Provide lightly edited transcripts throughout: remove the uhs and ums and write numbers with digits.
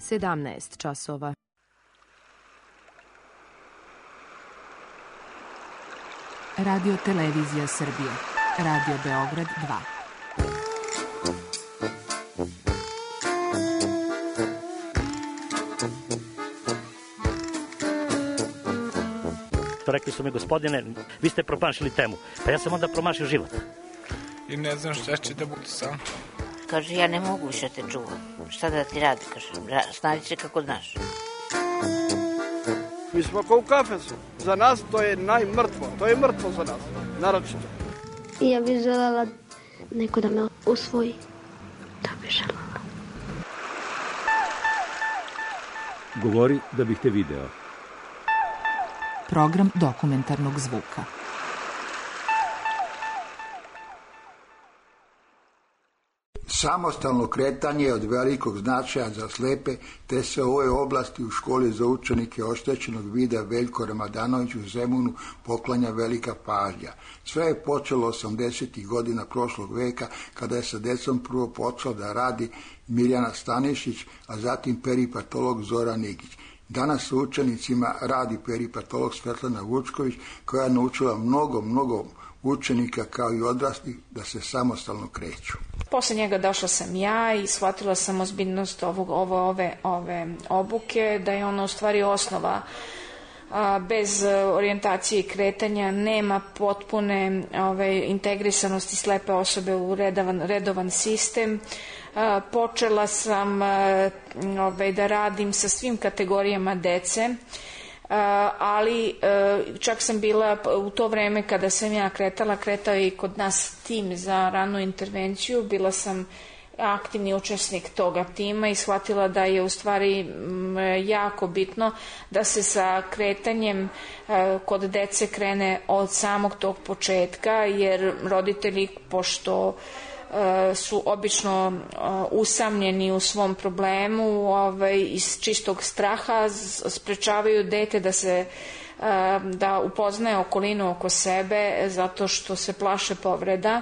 17 časova. Radio Televizija Srbije. Radio Beograd 2. Rekli su mi, gospodine, vi ste promašili temu. Pa ja sam onda promašio život. I ne znam šta će da bude sam. Kaže, ja ne mogu više te čuvam. Šta da ti radi, kaže, snađi se kako znaš. Mi smo kao u kafesu. Za nas to je najmrtvo. To je mrtvo za nas, naročito. Ja bih želela neko da me usvoji. Da bih želela. Govori da bih te video. Program dokumentarnog zvuka. Samostalno kretanje je od velikog značaja za slepe, te se u ovoj oblasti u školi za učenike oštećenog vida Veljko Ramadanović u Zemunu poklanja velika pažnja. Sve je počelo 80. godina prošlog veka, kada je sa decom prvo počeo da radi Mirjana Stanišić, a zatim peripatolog Zoran Nigić. Danas sa učenicima radi peripatolog Svetlana Vučković, koja je naučila mnogo učenika kao i odraslih da se samostalno kreću. Posle njega došla sam ja i shvatila sam ozbiljnost ove obuke, da je ona u stvari osnova. Bez orijentacije i kretanja nema potpune integrisanosti slepe osobe u redovan sistem. Počela sam da radim sa svim kategorijama dece, ali čak sam bila u to vreme kada sam ja kretao je i kod nas tim za ranu intervenciju, bila sam aktivni učesnik toga tima i shvatila da je u stvari jako bitno da se sa kretanjem kod dece krene od samog tog početka, jer roditelji, pošto su obično usamljeni u svom problemu, iz čistog straha sprečavaju dete da upoznaje okolinu oko sebe, zato što se plaše povreda,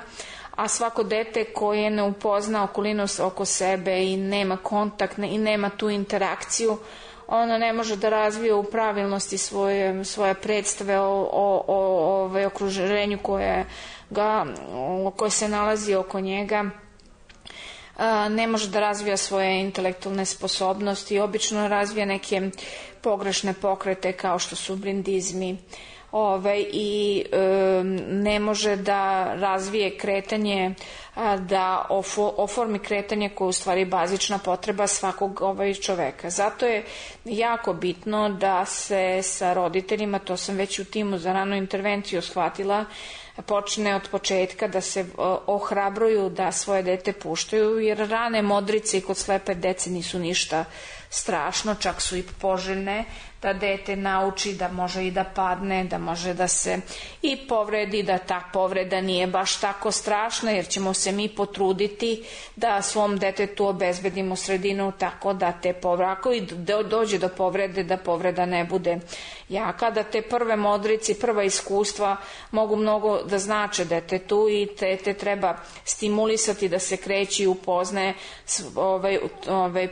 a svako dete koje ne upozna okolinu oko sebe i nema kontakt i nema tu interakciju, ono ne može da razvije u pravilnosti svoje predstave o okruženju koje se nalazi oko njega, ne može da razvija svoje intelektualne sposobnosti, obično razvija neke pogrešne pokrete kao što su brindizmi, i ne može da razvije kretanje, da oformi kretanje koje je u stvari bazična potreba svakog čoveka. Zato je jako bitno da se sa roditeljima, to sam već u timu za ranu intervenciju shvatila, počne od početka da se ohrabruju da svoje dete puštaju, jer rane modrice kod slepe dece nisu ništa strašno, čak su i poželjne, da dete nauči da može i da padne, da može da se i povredi, da ta povreda nije baš tako strašna, jer ćemo se mi potruditi da svom detetu obezbedimo sredinu tako da te povrede, ako i dođe do povrede, da povreda ne bude jaka, da te prve modrice, prva iskustva mogu mnogo da znače detetu i dete treba stimulisati da se kreće i upoznaje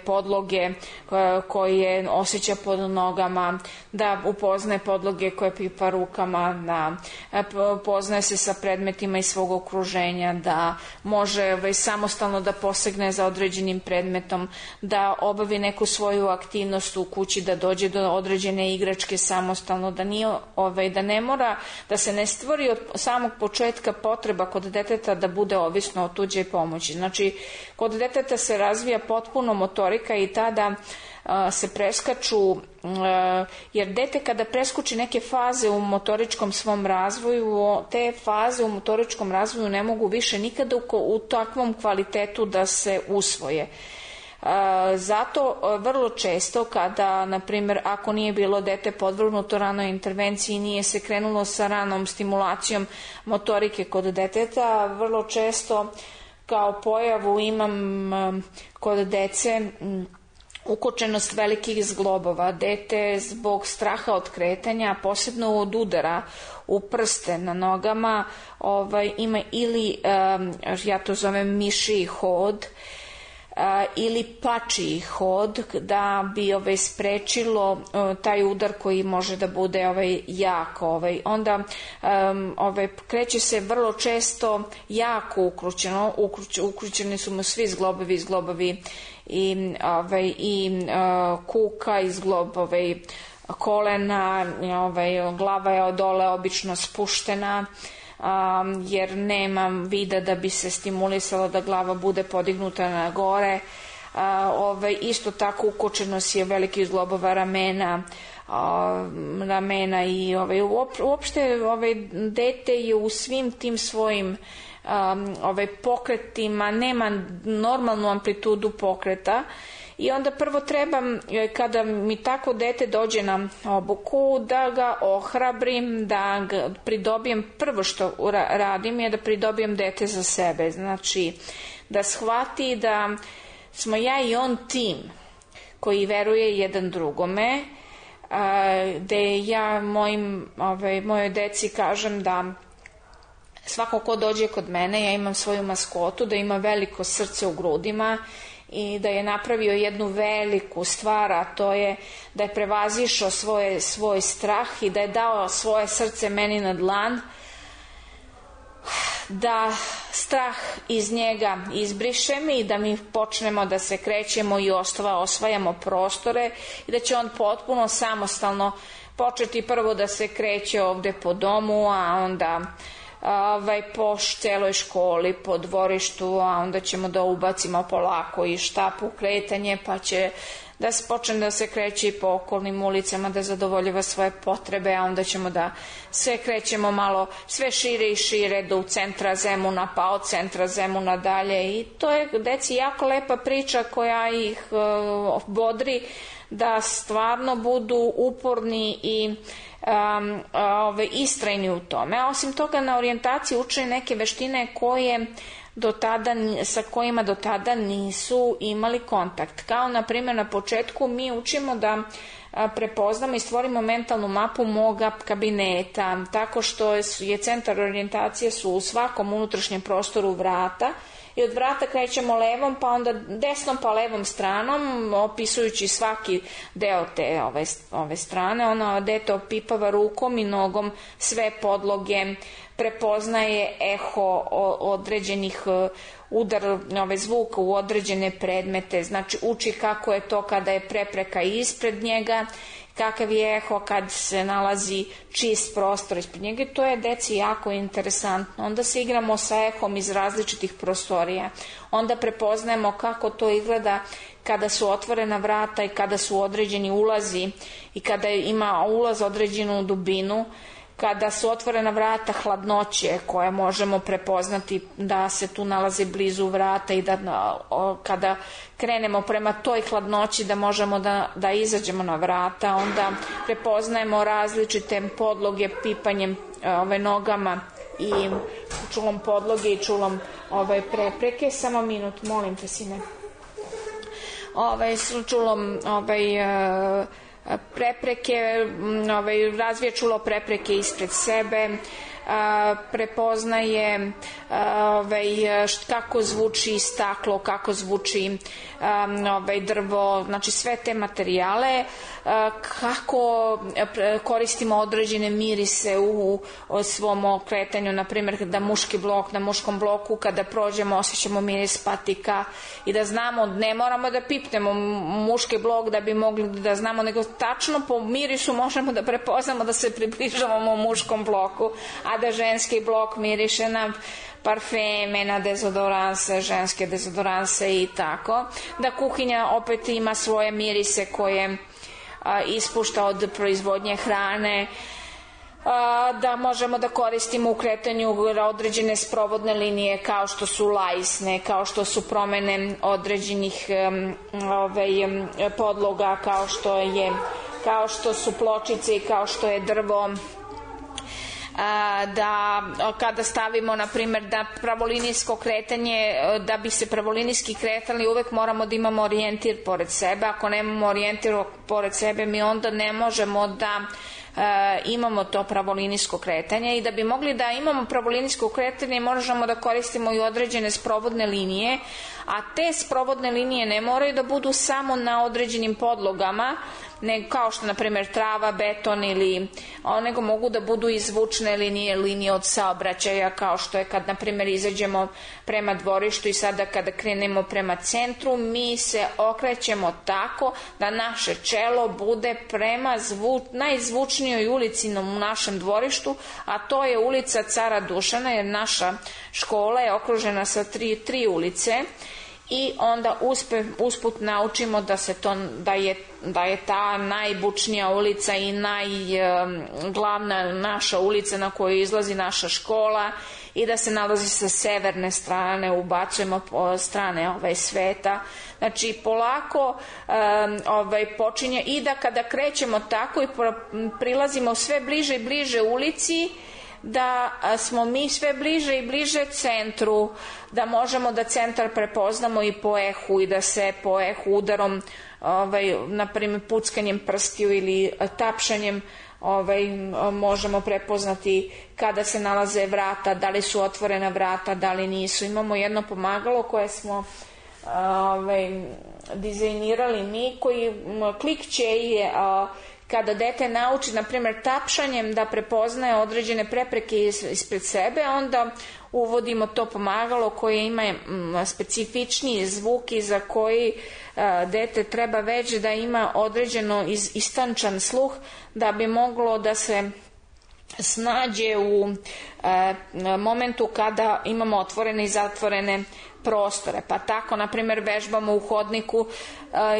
podloge koje osjeća pod nogama, da upoznaje podloge koje pipa rukama, da upoznaje se sa predmetima iz svog okruženja, da može samostalno da posegne za određenim predmetom, da obavi neku svoju aktivnost u kući, da dođe do određene igračke samostalno, da ne mora, da se ne stvori od samog početka potreba kod deteta da bude ovisno od tuđe pomoći. Znači, kod deteta se razvija potpuno motorika i tada se preskaču, jer dete kada preskuči neke faze u motoričkom svom razvoju, te faze u motoričkom razvoju ne mogu više nikada u takvom kvalitetu da se usvoje. Zato vrlo često kada, na primjer, ako nije bilo dete podvrgnuto ranoj intervenciji, nije se krenulo sa ranom stimulacijom motorike kod deteta, vrlo često kao pojavu imam kod dece ukočenost velikih zglobova. Dete zbog straha od kretanja, posebno od udara u prste na nogama, ima ili, ja to zovem mišiji hod, ili pačiji hod da bi sprečilo taj udar koji može da bude jak. Onda kreće se vrlo često jako uključeni su mu svi zglobovi i kuka i zglob kolena, glava je odole obično spuštena, jer nema vida da bi se stimulisalo da glava bude podignuta na gore. Isto tako ukočenost je veliki zglobova ramena i uopšte dete je u svim tim svojim pokretima, nema normalnu amplitudu pokreta. I onda prvo treba, kada mi tako dete dođe na obuku, da ga ohrabrim, da ga pridobijem, prvo što radim je da pridobijem dete za sebe. Znači, da shvati da smo ja i on tim koji veruje jedan drugome, gde ja mojoj deci kažem da svako ko dođe kod mene, ja imam svoju maskotu, da ima veliko srce u grudima i da je napravio jednu veliku stvar, a to je da je prevazišao svoj strah i da je dao svoje srce meni na dlan, da strah iz njega izbrišem i da mi počnemo da se krećemo i osvajamo prostore i da će on potpuno samostalno početi prvo da se kreće ovde po domu, a onda po celoj školi, po dvorištu, a onda ćemo da ubacimo polako i štapu kretanje, pa će da se počne da se kreće i po okolnim ulicama, da zadovoljava svoje potrebe, a onda ćemo da sve krećemo malo sve šire i šire do centra Zemuna, pa od centra Zemuna dalje. I to je deci jako lepa priča koja ih bodri da stvarno budu uporni i istrajni u tome. A osim toga, na orijentaciji uče neke veštine sa kojima do tada nisu imali kontakt. Kao, na primjer, na početku mi učimo da prepoznamo i stvorimo mentalnu mapu moga kabineta, tako što je centar orijentacije su u svakom unutrašnjem prostoru vrata, i od vrata krećemo levom, pa onda desnom, pa levom stranom, opisujući svaki deo te ove strane. Ona dete opipava rukom i nogom sve podloge, prepoznaje eho određenih udar zvuka u određene predmete, znači uči kako je to kada je prepreka ispred njega, kakav je eho kad se nalazi čist prostor ispred njega, i to je deci jako interesantno. Onda se igramo sa ehom iz različitih prostorija, onda prepoznajemo kako to izgleda kada su otvorena vrata i kada su određeni ulazi i kada ima ulaz određenu dubinu, kada su otvorena vrata hladnoće koje možemo prepoznati da se tu nalaze blizu vrata i da kada krenemo prema toj hladnoći da možemo da izađemo na vrata. Onda prepoznajemo različite podloge pipanjem nogama i čulom podloge i čulom prepreke. Samo minut, molim te, sine. Čulom prepreke, razvija čulo prepreke ispred sebe, prepoznaje kako zvuči staklo, kako zvuči drvo, znači sve te materijale, kako koristimo određene mirise u svom kretanju, na primjer da na muškom bloku kada prođemo osjećamo miris patika i da znamo, ne moramo da pipnemo muški blok da bi mogli da znamo, nego tačno po mirisu možemo da prepoznamo da se približavamo muškom bloku, a da ženski blok miriše na parfeme, na dezodoranse, ženske dezodoranse i tako. Da kuhinja opet ima svoje mirise koje ispušta od proizvodnje hrane, da možemo da koristimo u kretanju određene sprovodne linije kao što su lajsne, kao što su promene određenih podloga, kao što su pločice i kao što je drvo. Da kada stavimo, na primjer, da pravolinijsko kretanje, da bi se pravolinijski kretali uvek moramo da imamo orijentir pored sebe. Ako nemamo orijentir pored sebe, mi onda ne možemo da imamo to pravolinijsko kretanje, i da bi mogli da imamo pravolinijsko kretanje možemo da koristimo i određene sprovodne linije, a te sprovodne linije ne moraju da budu samo na određenim podlogama, kao što na primjer trava, beton nego mogu da budu i zvučne linije od saobraćaja, kao što je kad na primjer izađemo prema dvorištu i sada kada krenemo prema centru, mi se okrećemo tako da naše čelo bude prema najzvučnijoj ulici u našem dvorištu, a to je ulica Cara Dušana, jer naša škola je okružena sa tri ulice. I onda usput naučimo da je ta najbučnija ulica i glavna naša ulica na kojoj izlazi naša škola i da se nalazi sa severne strane, ubacujemo po strane sveta. Znači polako počinje i da kada krećemo tako i prilazimo sve bliže i bliže ulici, da smo mi sve bliže i bliže centru, da možemo da centar prepoznamo i po ehu i da se po ehu udarom, na primjer puckanjem prstiju ili tapšanjem možemo prepoznati kada se nalaze vrata, da li su otvorena vrata, da li nisu. Imamo jedno pomagalo koje smo dizajnirali mi, koji klikće i kada dete nauči, na primjer, tapšanjem da prepoznaje određene prepreke ispred sebe, onda uvodimo to pomagalo koje ima specifičniji zvuk i za koji dete treba već da ima određeno istančan sluh da bi moglo da se snađe u momentu kada imamo otvorene i zatvorene prostore. Pa tako, na primjer, vežbamo u hodniku,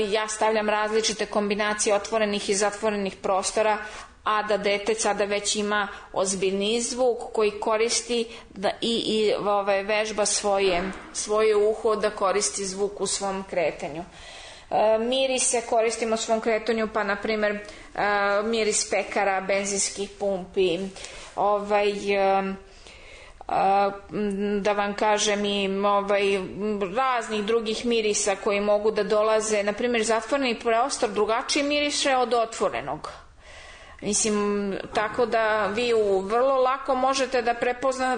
ja stavljam različite kombinacije otvorenih i zatvorenih prostora, a da dete sada već ima ozbiljniji zvuk koji koristi i vežba svoje uho da koristi zvuk u svom kretanju. Mirise koristimo u svom kretanju, pa na primjer miris pekara, benzinskih pumpi, da vam kažem i raznih drugih mirisa koji mogu da dolaze. Na primjer, zatvoreni prostor drugačije miriše od otvorenog. Mislim, tako da vi vrlo lako možete da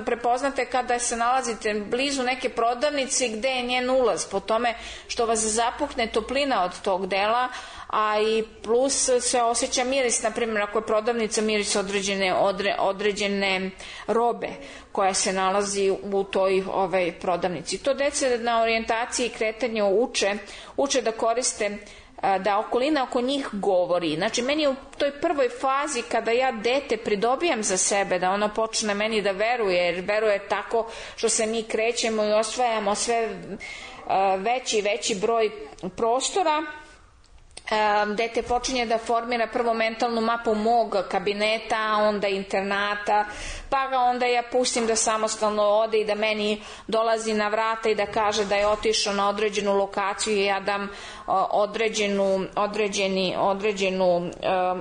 prepoznate kada se nalazite blizu neke prodavnice gde je njen ulaz, po tome što vas zapuhne toplina od tog dela, a i plus se osjeća miris, na primjer ako je prodavnica, miris određene robe koja se nalazi u toj prodavnici. To dece na orijentaciji i kretanju uče da koriste, da okolina oko njih govori. Znači, meni u toj prvoj fazi kada ja dete pridobijam za sebe, da ono počne meni da veruje, jer veruje tako što se mi krećemo i osvajamo sve veći i veći broj prostora, dete počinje da formira prvo mentalnu mapu mog kabineta, onda internata, pa ga onda ja pustim da samostalno ode i da meni dolazi na vrata i da kaže da je otišao na određenu lokaciju i ja dam određenu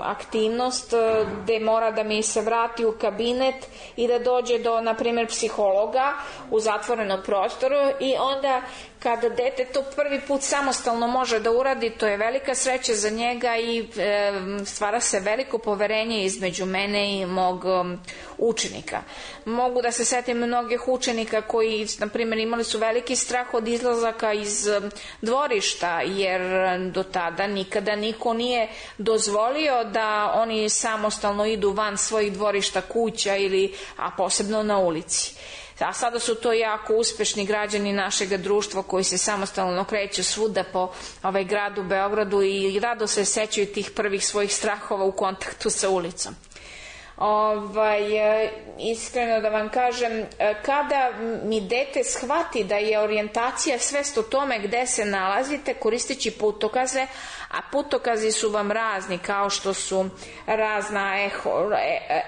aktivnost gde mora da mi se vrati u kabinet i da dođe do, na primjer, psihologa u zatvorenom prostoru, i onda kada dete to prvi put samostalno može da uradi, to je velika sreća za njega i stvara se veliko poverenje između mene i mog učenika. Mogu da se setim mnogih učenika koji, na primjer, imali su veliki strah od izlazaka iz dvorišta, jer do tada nikada niko nije dozvolio da oni samostalno idu van svojih dvorišta, kuća a posebno na ulici. A sada su to jako uspešni građani našeg društva koji se samostalno kreću svuda po gradu Beogradu i rado se sećaju tih prvih svojih strahova u kontaktu sa ulicom. Iskreno da vam kažem, kada mi dete shvati da je orijentacija svest o tome gde se nalazite, koristeći putokaze, a putokazi su vam razni, kao što su razna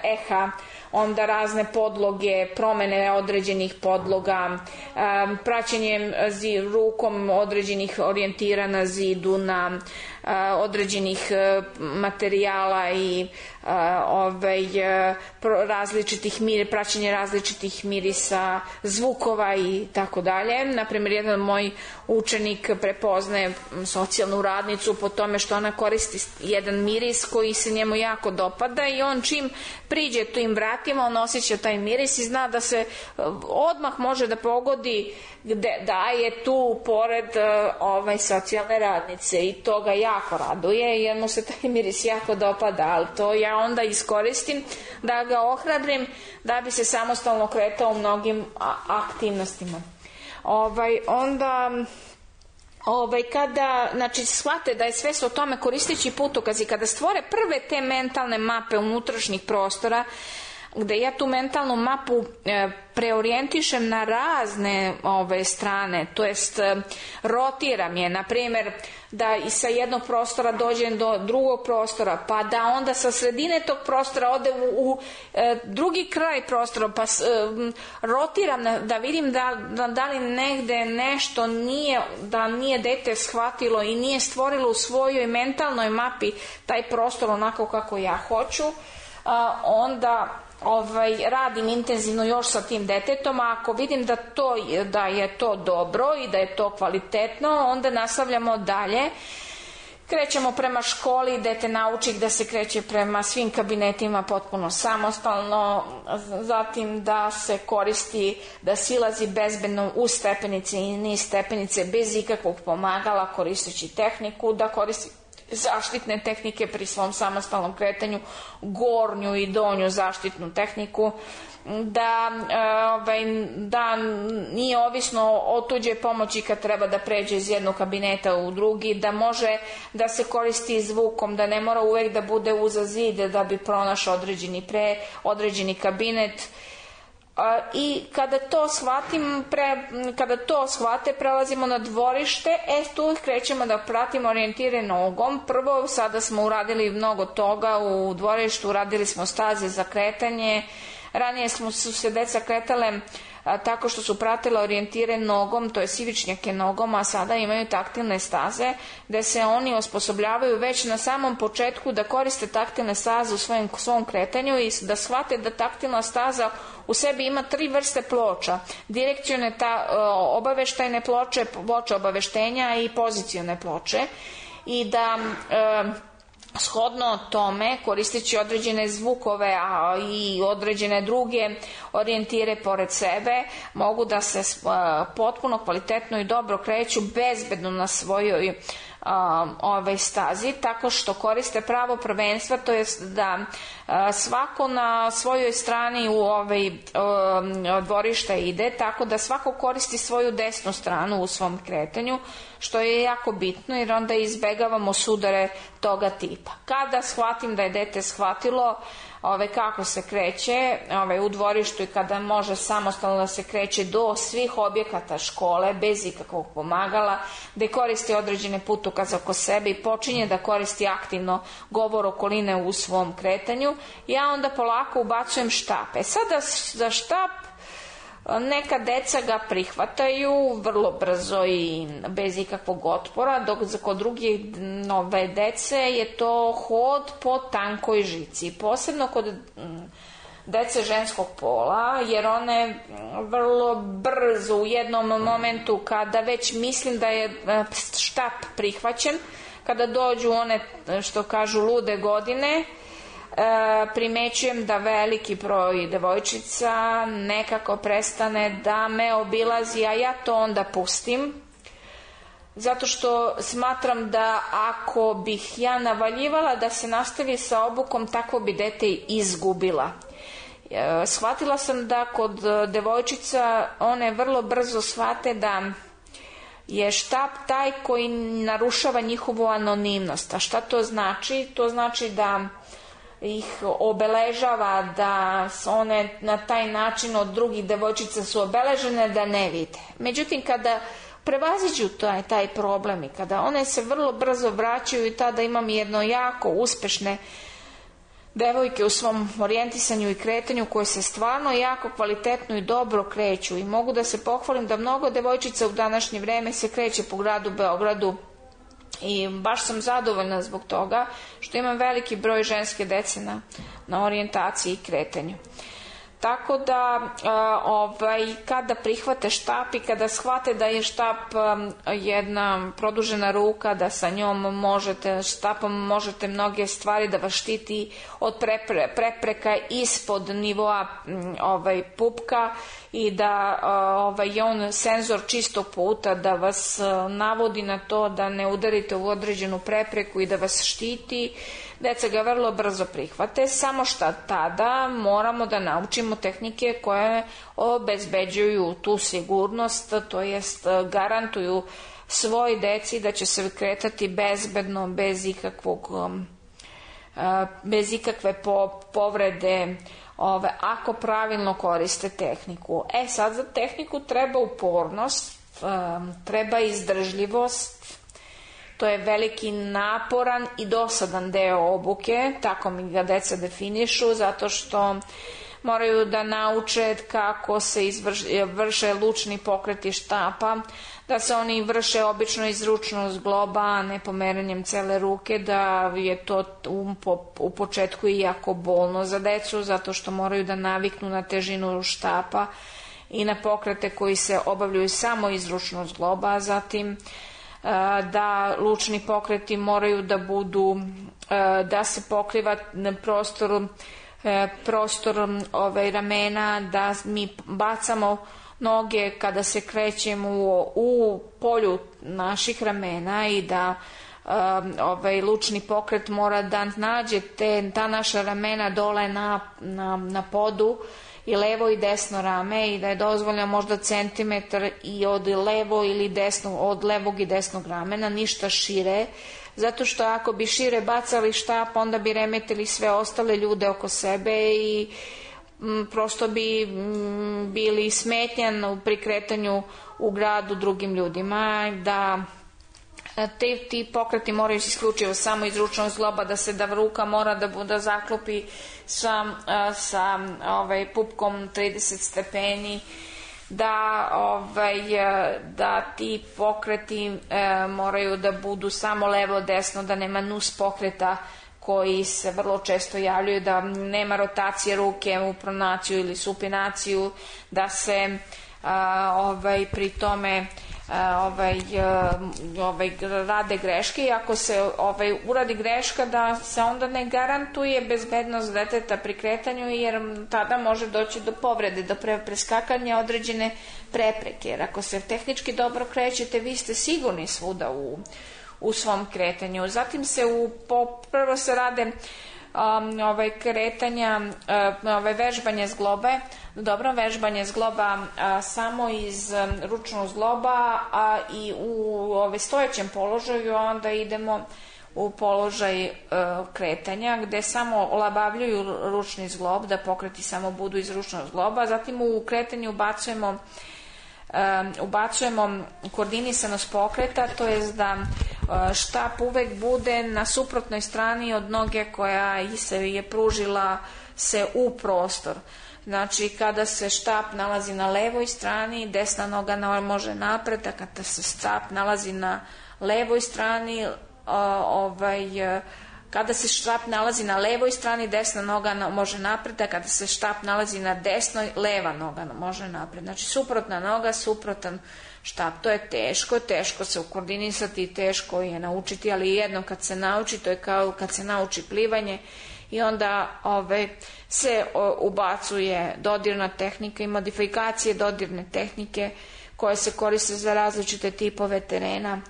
eha, onda razne podloge, promene određenih podloga, praćenjem rukom određenih orijentira na zidu, na određenih materijala i praćenje različitih mirisa, zvukova i tako dalje. Naprimjer, jedan moj učenik prepoznaje socijalnu radnicu po tome što ona koristi jedan miris koji se njemu jako dopada i on čim priđe tim vratima, on osjeća taj miris i zna da se odmah može da pogodi da je tu pored socijalne radnice i to ga jako raduje jer mu se taj miris jako dopada, ali to ja onda iskoristim da ga ohrabrim da bi se samostalno kretao u mnogim aktivnostima. Onda kada shvate da je sve o tome koristeći putokaz i kada stvore prve te mentalne mape unutrašnjih prostora, gde ja tu mentalnu mapu preorijentišem na razne strane, to jest rotiram je, na primjer da i sa jednog prostora dođem do drugog prostora, pa da onda sa sredine tog prostora ode u drugi kraj prostora, pa rotiram da vidim da li negde nešto nije dete shvatilo i nije stvorilo u svojoj mentalnoj mapi taj prostor onako kako ja hoću, onda radim intenzivno još sa tim detetom, a ako vidim da je to dobro i da je to kvalitetno, onda nastavljamo dalje. Krećemo prema školi, dete nauči da se kreće prema svim kabinetima potpuno samostalno, zatim da se koristi, da silazi bezbedno uz stepenice i niz stepenice bez ikakvog pomagala koristeći tehniku, da koristi zaštitne tehnike pri svom samostalnom kretanju, gornju i donju zaštitnu tehniku, da nije ovisno o tuđe pomoći kad treba da pređe iz jednog kabineta u drugi, da može da se koristi zvukom, da ne mora uvek da bude uza zid da bi pronašao određeni kabinet. I kada to shvate, prelazimo na dvorište, tu krećemo da pratimo orijentire nogom. Prvo, sada smo uradili mnogo toga u dvorištu, uradili smo staze za kretanje, ranije su se deca kretale tako što su pratile orijentire nogom, to je ivičnjake nogom, a sada imaju taktilne staze gde se oni osposobljavaju već na samom početku da koriste taktilne staze u svom kretanju i da shvate da taktilna staza u sebi ima 3 vrste ploča: direkcione, obaveštajne ploče, ploče obaveštenja i pozicione ploče, i da shodno tome, koristeći određene zvukove i određene druge orijentire pored sebe, mogu da se potpuno kvalitetno i dobro kreću bezbedno na svojoj stazi, tako što koriste pravo prvenstva, to jest da svako na svojoj strani u dvorišta ide, tako da svako koristi svoju desnu stranu u svom kretanju, što je jako bitno jer onda izbegavamo sudare toga tipa. Kada shvatim da je dete shvatilo kako se kreće u dvorištu i kada može samostalno da se kreće do svih objekata škole bez ikakvog pomagala, da koristi određene putokaze oko sebe i počinje da koristi aktivno govor okoline u svom kretanju, ja onda polako ubacujem štap. Sada za štap neka deca ga prihvataju vrlo brzo i bez ikakvog otpora, dok kod drugih dece je to hod po tankoj žici, posebno kod dece ženskog pola, jer one vrlo brzo u jednom momentu, kada već mislim da je štap prihvaćen, kada dođu one, što kažu, lude godine, primećujem da veliki broj devojčica nekako prestane da me obilazi, a ja to onda pustim, zato što smatram da ako bih ja navaljivala da se nastavi sa obukom, tako bi dete izgubila. Shvatila sam da kod devojčica one vrlo brzo shvate da je štap taj koji narušava njihovu anonimnost. A šta to znači? To znači da ih obeležava, da one na taj način od drugih devojčica su obeležene da ne vide. Međutim, kada prevaziđu taj problem i kada one se vrlo brzo vraćaju, i tada imam jedno jako uspešne devojke u svom orijentisanju i kretanju koje se stvarno jako kvalitetno i dobro kreću, i mogu da se pohvalim da mnogo devojčica u današnje vreme se kreće po gradu Beogradu i baš sam zadovoljna zbog toga što imam veliki broj ženske dece na orijentaciji i kretanju. Tako da kada prihvate štap i kada shvate da je štap jedna produžena ruka, da sa njom štapom možete mnoge stvari, da vas štiti od prepreka ispod nivoa pupka i da je on senzor čistog puta, da vas navodi na to da ne udarite u određenu prepreku i da vas štiti, deca ga vrlo brzo prihvate, samo što tada moramo da naučimo tehnike koje obezbeđuju tu sigurnost, to jest garantuju svoj deci da će se kretati bezbedno, bez ikakve povrede, ako pravilno koriste tehniku. Sad za tehniku treba upornost, treba izdržljivost. To je veliki naporan i dosadan deo obuke, tako mi ga deca definišu, zato što moraju da nauče kako se vrše lučni pokreti štapa, da se oni vrše obično iz ručnog zgloba, a ne pomeranjem cele ruke, da je to u početku i jako bolno za decu, zato što moraju da naviknu na težinu štapa i na pokrete koji se obavljaju samo iz ručnog zgloba, zatim da lučni pokreti moraju da budu, da se pokriva prostor ramena, da mi bacamo noge kada se krećemo u polju naših ramena i da lučni pokret mora da nađe ta naša ramena dole na podu i levo i desno rame i da je dozvoljeno možda centimetar i od levog i desnog ramena, ništa šire, zato što ako bi šire bacali štap, onda bi remetili sve ostale ljude oko sebe i prosto bi bili smetnjan pri kretanju u gradu drugim ljudima, da ti pokreti moraju se isključivo samo iz ručnog zgloba, da ruka mora da zaklopi sa pupkom 30 stepeni, da ti pokreti moraju da budu samo levo desno, da nema nus pokreta koji se vrlo često javljaju, da nema rotacije ruke u pronaciju ili supinaciju, da se pri tome rade greške i ako se uradi greška da se onda ne garantuje bezbednost deteta pri kretanju, jer tada može doći do povrede, do preskakanja određene prepreke, jer ako se tehnički dobro krećete, vi ste sigurni svuda u svom kretanju. Zatim prvo se rade kretanja, vežbanje zglobe, dobro vežbanje zgloba samo iz ručnog zgloba, a i u stojećem položaju, onda idemo u položaj kretanja gde samo olabavljuju ručni zglob, da pokreti samo budu iz ručnog zgloba. Zatim u kretanju ubacujemo koordinisanost pokreta, to je da štap uvek bude na suprotnoj strani od noge koja se je pružila se u prostor. Znači, kada se štap nalazi na levoj strani, desna noga može napred, a kada se štap nalazi na levoj strani, kada se štap nalazi na levoj strani, desna noga može napred, a kada se štap nalazi na desnoj, leva noga može napred. Znači, suprotna noga, suprotan štap. To je teško se ukoordinisati, teško je naučiti, ali jednom kad se nauči, to je kao kad se nauči plivanje, i onda se ubacuje dodirna tehnika i modifikacije dodirne tehnike koje se koriste za različite tipove terena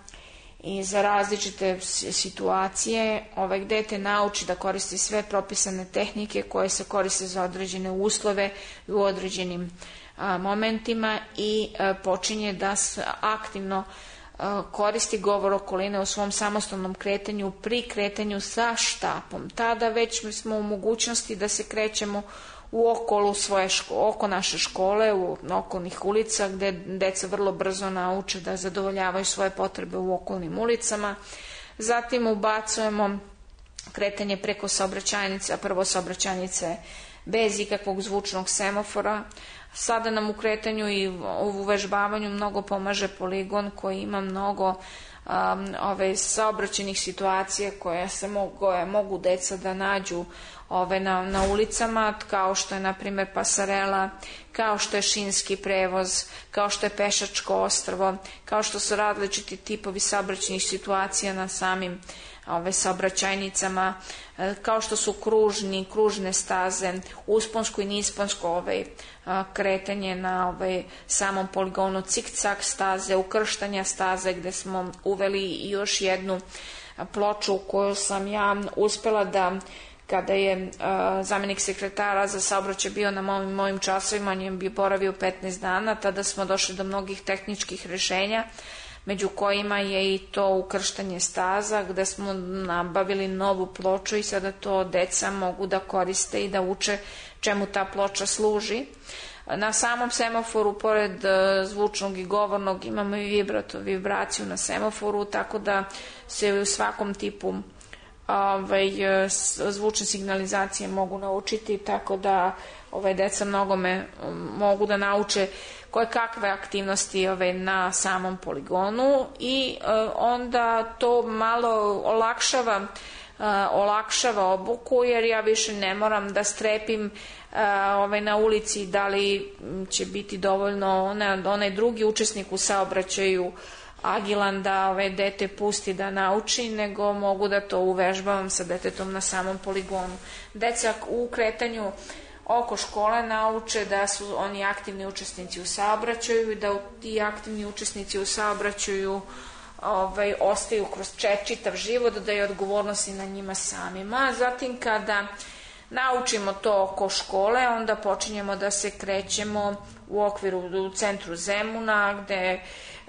i za različite situacije. Dete nauči da koristi sve propisane tehnike koje se koriste za određene uslove u određenim momentima i počinje da se aktivno koristi govor okoline u svom samostalnom kretanju pri kretanju sa štapom. Tada već smo u mogućnosti da se krećemo u oko naše škole, u okolnih ulica, gde deca vrlo brzo nauče da zadovoljavaju svoje potrebe u okolnim ulicama. Zatim ubacujemo kretanje preko saobraćajnice, prvo saobraćajnice bez ikakvog zvučnog semafora. Sada nam u kretanju i u uvežbavanju mnogo pomaže poligon koji ima mnogo saobraćajnih situacija koje mogu deca da nađu na ulicama, kao što je na primjer pasarela, kao što je šinski prevoz, kao što je pešačko ostrvo, kao što su različiti tipovi saobraćajnih situacija na samim saobraćajnicama, kao što su kružne staze, usponsko i nisponsko kretanje na samom poligonu, cik-cak staze, ukrštanja staze, gde smo uveli još jednu ploču koju sam ja uspela da, kada je zamenik sekretara za saobraćaj bio na mojim časovima, on je bi boravio 15 dana, tada smo došli do mnogih tehničkih rešenja, među kojima je i to ukrštanje staza, gde smo nabavili novu ploču i sada to deca mogu da koriste i da uče čemu ta ploča služi. Na samom semaforu, pored zvučnog i govornog, imamo i vibraciju na semaforu, tako da se u svakom tipu zvučne signalizacije mogu naučiti, tako da deca mnogome mogu da nauče koje kakve aktivnosti na samom poligonu i onda to malo olakšava obuku, jer ja više ne moram da strepim na ulici da li će biti dovoljno onaj drugi učesnik u saobraćaju agilan da dete pusti da nauči, nego mogu da to uvežbavam sa detetom na samom poligonu. Deca u kretanju oko škole nauče da su oni aktivni učesnici u saobraćaju i da ti aktivni učesnici u saobraćaju ostaju kroz čitav život, da je odgovornost i na njima samima. Zatim kada naučimo to oko škole, onda počinjemo da se krećemo u centru Zemuna, gde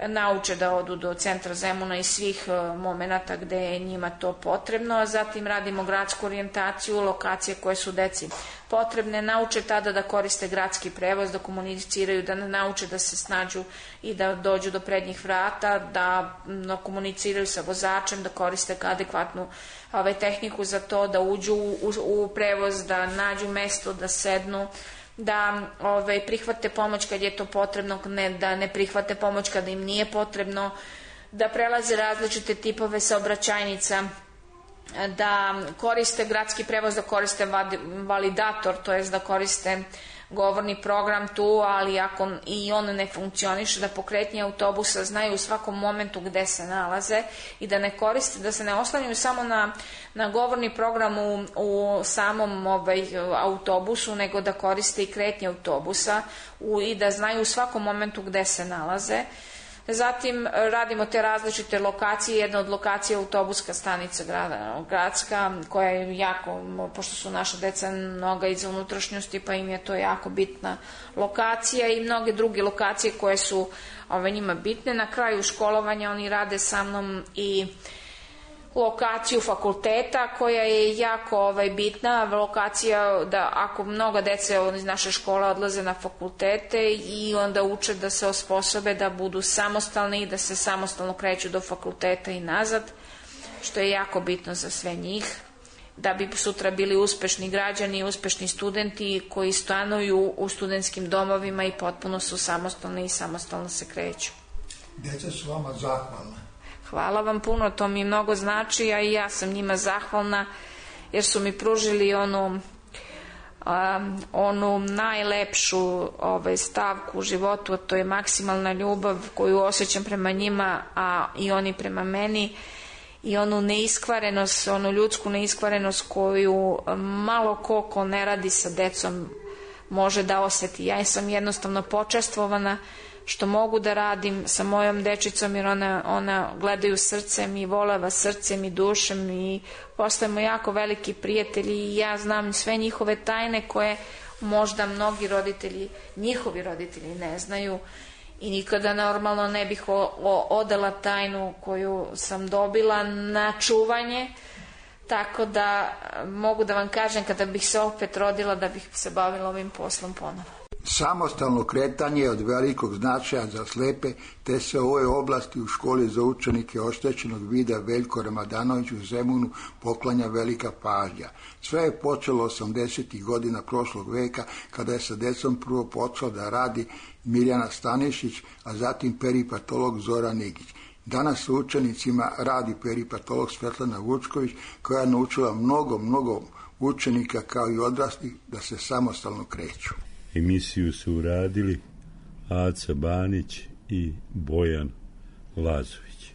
nauče da odu do centra Zemuna i svih momenata gde je njima to potrebno, a zatim radimo gradsku orijentaciju, lokacije koje su deci potrebne, nauče tada da koriste gradski prevoz, da komuniciraju, da nauče da se snađu i da dođu do prednjih vrata, da komuniciraju sa vozačem, da koriste adekvatnu tehniku za to, da uđu u prevoz, da nađu mesto, da sednu, da prihvate pomoć kad je to potrebno, da ne prihvate pomoć kada im nije potrebno, da prelaze različite tipove saobraćajnica, da koriste gradski prevoz, da koriste validator, to jest da koriste govorni program tu, ali ako i on ne funkcioniše, da pokretnje autobusa znaju u svakom momentu gde se nalaze i da ne koriste, da se ne oslanjaju samo na govorni program u samom autobusu, nego da koriste i kretnje autobusa i da znaju u svakom momentu gde se nalaze. Zatim radimo te različite lokacije, jedna od lokacija je autobuska stanica gradska, koja je jako, pošto su naša deca mnoga iz unutrašnjosti, pa im je to jako bitna lokacija, i mnoge druge lokacije koje su njima bitne. Na kraju školovanja oni rade sa mnom i lokaciju fakulteta, koja je jako bitna lokacija, da ako mnoga dece iz naše škole odlaze na fakultete i onda uče da se osposobe da budu samostalni i da se samostalno kreću do fakulteta i nazad, što je jako bitno za sve njih, da bi sutra bili uspešni građani, uspešni studenti koji stanuju u studentskim domovima i potpuno su samostalni i samostalno se kreću. Deca su vama zahvalna. Hvala vam puno, to mi mnogo znači, a i ja sam njima zahvalna, jer su mi pružili onu najlepšu stavku u životu, a to je maksimalna ljubav koju osjećam prema njima, a i oni prema meni, i onu neiskvarenost, onu ljudsku neiskvarenost koju malo ko ne radi sa decom može da osjeti. Ja sam jednostavno počastvovana što mogu da radim sa mojom dečicom, jer ona gledaju srcem i voleva srcem i dušem i postajemo jako veliki prijatelji, i ja znam sve njihove tajne koje možda mnogi roditelji, njihovi roditelji ne znaju, i nikada normalno ne bih odala tajnu koju sam dobila na čuvanje, tako da mogu da vam kažem, kada bih se opet rodila, da bih se bavila ovim poslom ponovo. Samostalno kretanje je od velikog značaja za slepe, te se u ovoj oblasti u školi za učenike oštećenog vida Veljko Ramadanović u Zemunu poklanja velika pažnja. Sve je počelo 80. godina prošlog veka, kada je sa decom prvo počela da radi Mirjana Stanišić, a zatim peripatolog Zoran Nigić. Danas s učenicima radi peripatolog Svetlana Vučković, koja je naučila mnogo učenika kao i odraslih da se samostalno kreću. Emisiju su uradili Aca Banić i Bojan Lazović.